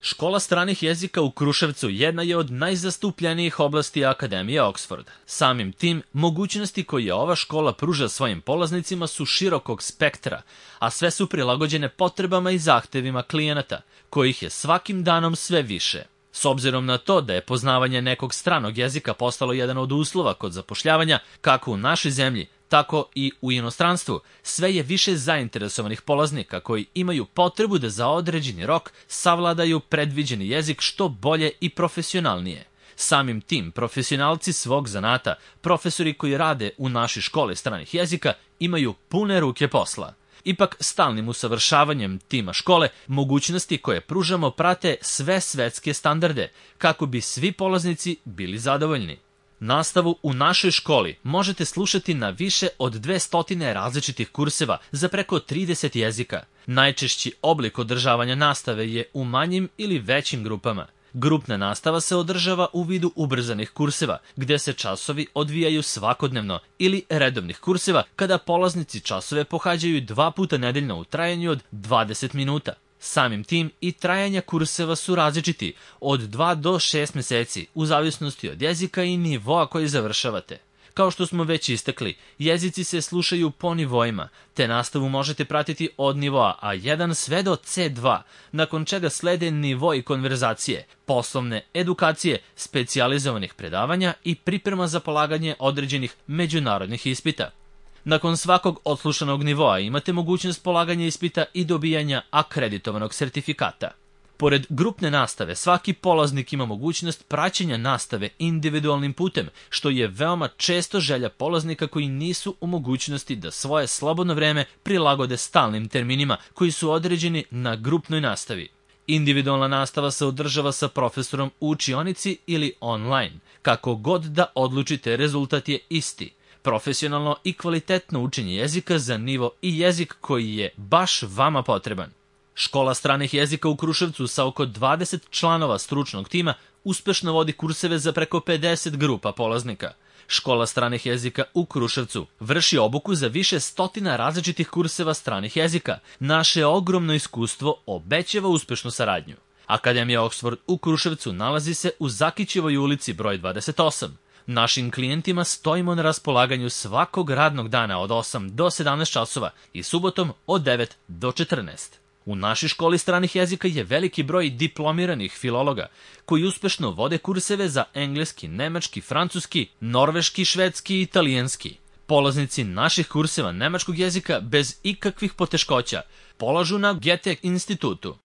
Škola stranih jezika u Kruševcu jedna je od najzastupljenijih oblasti Akademije Oxford. Samim tim, mogućnosti koje ova škola pruža svojim polaznicima su širokog spektra, a sve su prilagođene potrebama i zahtevima klijenata, kojih je svakim danom sve više. S obzirom na to da je poznavanje nekog stranog jezika postalo jedan od uslova kod zapošljavanja, kako u našoj zemlji, tako i u inostranstvu, sve je više zainteresovanih polaznika koji imaju potrebu da za određeni rok savladaju predviđeni jezik što bolje i profesionalnije. Samim tim, profesionalci svog zanata, profesori koji rade u našoj školi stranih jezika, imaju pune ruke posla. Ipak, stalnim usavršavanjem tima škole, mogućnosti koje pružamo prate sve svetske standarde, kako bi svi polaznici bili zadovoljni. Nastavu u našoj školi možete slušati na više od 200 različitih kurseva za preko 30 jezika. Najčešći oblik održavanja nastave je u manjim ili većim grupama. Grupna nastava se održava u vidu ubrzanih kurseva, gde se časovi odvijaju svakodnevno, ili redovnih kurseva, kada polaznici časove pohađaju 2 puta nedeljno u trajanju od 20 minuta. Samim tim i trajanja kurseva su različiti, od 2 do 6 meseci, u zavisnosti od jezika i nivoa koji završavate. Kao što smo već istakli, jezici se slušaju po nivoima, te nastavu možete pratiti od nivoa A1 sve do C2, nakon čega slede nivoi konverzacije, poslovne edukacije, specijalizovanih predavanja i priprema za polaganje određenih međunarodnih ispita. Nakon svakog odslušanog nivoa imate mogućnost polaganja ispita i dobijanja akreditovanog sertifikata. Pored grupne nastave, svaki polaznik ima mogućnost praćenja nastave individualnim putem, što je veoma često želja polaznika koji nisu u mogućnosti da svoje slobodno vreme prilagode stalnim terminima koji su određeni na grupnoj nastavi. Individualna nastava se održava sa profesorom u učionici ili online. Kako god da odlučite, rezultat je isti. Profesionalno i kvalitetno učenje jezika za nivo i jezik koji je baš vama potreban. Škola stranih jezika u Kruševcu sa oko 20 članova stručnog tima uspešno vodi kurseve za preko 50 grupa polaznika. Škola stranih jezika u Kruševcu vrši obuku za više stotina različitih kurseva stranih jezika. Naše ogromno iskustvo obećava uspešnu saradnju. Akademija Oxford u Kruševcu nalazi se u Zakićevoj ulici broj 28. Našim klijentima stojimo na raspolaganju svakog radnog dana od 8 do 17 časova i subotom od 9 do 14. U našoj školi stranih jezika je veliki broj diplomiranih filologa koji uspešno vode kurseve za engleski, nemački, francuski, norveški, švedski i italijanski. Polaznici naših kurseva nemačkog jezika bez ikakvih poteškoća polažu na Goethe institutu.